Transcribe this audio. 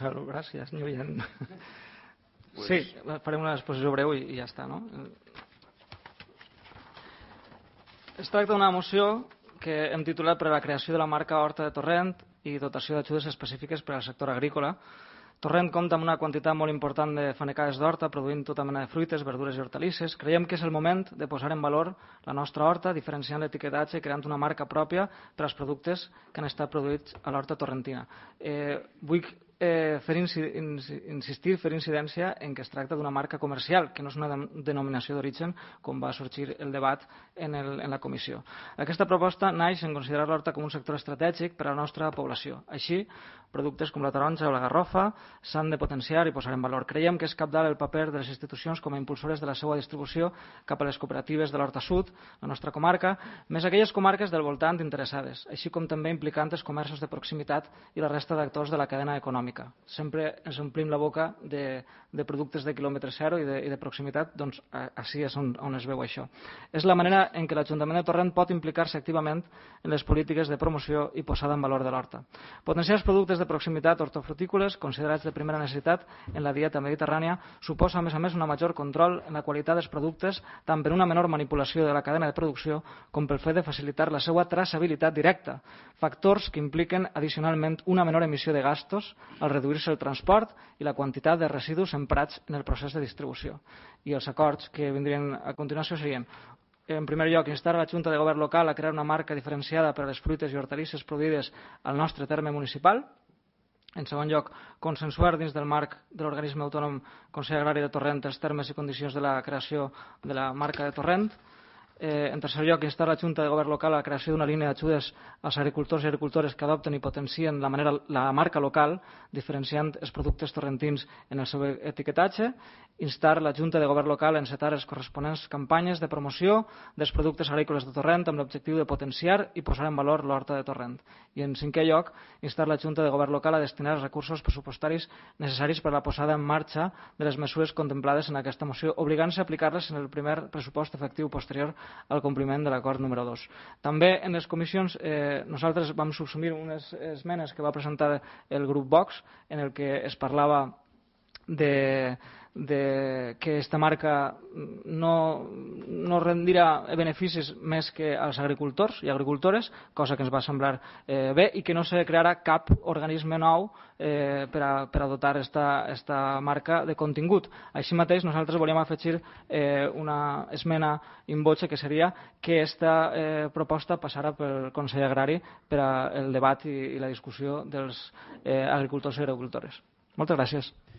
Gràcies, n'hi havia. Sí, farem una exposició breu i ja està, no? Es tracta d'una moció que hem titulat per a la creació de la marca Horta de Torrent i dotació d'ajudes específiques per al sector agrícola. Torrent compta amb una quantitat molt important de fanecades d'horta, produint tota mena de fruites, verdures i hortalisses. Creiem que és el moment de posar en valor la nostra horta, diferenciant l'etiquetatge i creant una marca pròpia per als productes que han estat produïts a l'horta torrentina. Vull fer incidència en que es tracta d'una marca comercial, que no és una denominació d'origen, com va sorgir el debat en la comissió. Aquesta proposta naix en considerar l'horta com un sector estratègic per a la nostra població. Així, productes com la taronja o la garrofa s'han de potenciar i posar en valor. Creiem que és cabdal el paper de les institucions com a impulsores de la seva distribució cap a les cooperatives de l'Horta Sud, la nostra comarca, més aquelles comarques del voltant interessades, així com també implicant els comerços de proximitat i la resta d'actors de la cadena econòmica. Sempre ens omplim la boca de productes de quilòmetre zero i de proximitat, doncs així és on es veu això. És la manera en què l'Ajuntament de Torrent pot implicar-se activament en les polítiques de promoció i posada en valor de l'horta. Potenciar els productes de proximitat hortofrutícoles, considerats de primera necessitat en la dieta mediterrània, suposa a més un major control en la qualitat dels productes, tant per una menor manipulació de la cadena de producció com pel fet de facilitar la seva traçabilitat directa, factors que impliquen addicionalment una menor emissió de gastos al reduir-se el transport i la quantitat de residus emprats en el procés de distribució. I els acords que vindrien a continuació serien: en primer lloc, instar la Junta de Govern local a crear una marca diferenciada per a les fruites i hortalisses produïdes al nostre terme municipal. En segon lloc, consensuar dins del marc de l'organisme autònom Consell Agrari de Torrent els termes i condicions de la creació de la marca de Torrent. En tercer lloc, instar la Junta de Govern local a la creació d'una línia d'ajudes als agricultors i agricultores que adopten i potencien la marca local, diferenciant els productes torrentins en el seu etiquetatge. Instar la Junta de Govern local a encetar les corresponents campanyes de promoció dels productes agrícoles de Torrent amb l'objectiu de potenciar i posar en valor l'horta de Torrent. I en cinquè lloc, instar la Junta de Govern local a destinar els recursos pressupostaris necessaris per a la posada en marxa de les mesures contemplades en aquesta moció, obligant-se a aplicar-les en el primer pressupost efectiu posterior al compliment de l'acord número 2. També en les comissions nosaltres vam subsumir unes esmenes que va presentar el grup Vox en el que es parlava de que aquesta marca no rendirà beneficis més que als agricultors i agricultores, cosa que ens va semblar bé, i que no se crearà cap organisme nou per a dotar aquesta marca de contingut. Així mateix, nosaltres volíem afegir una esmena in voce, que seria que aquesta proposta passarà pel Consell Agrari per al debat i la discussió dels agricultors i agricultores. Moltes gràcies.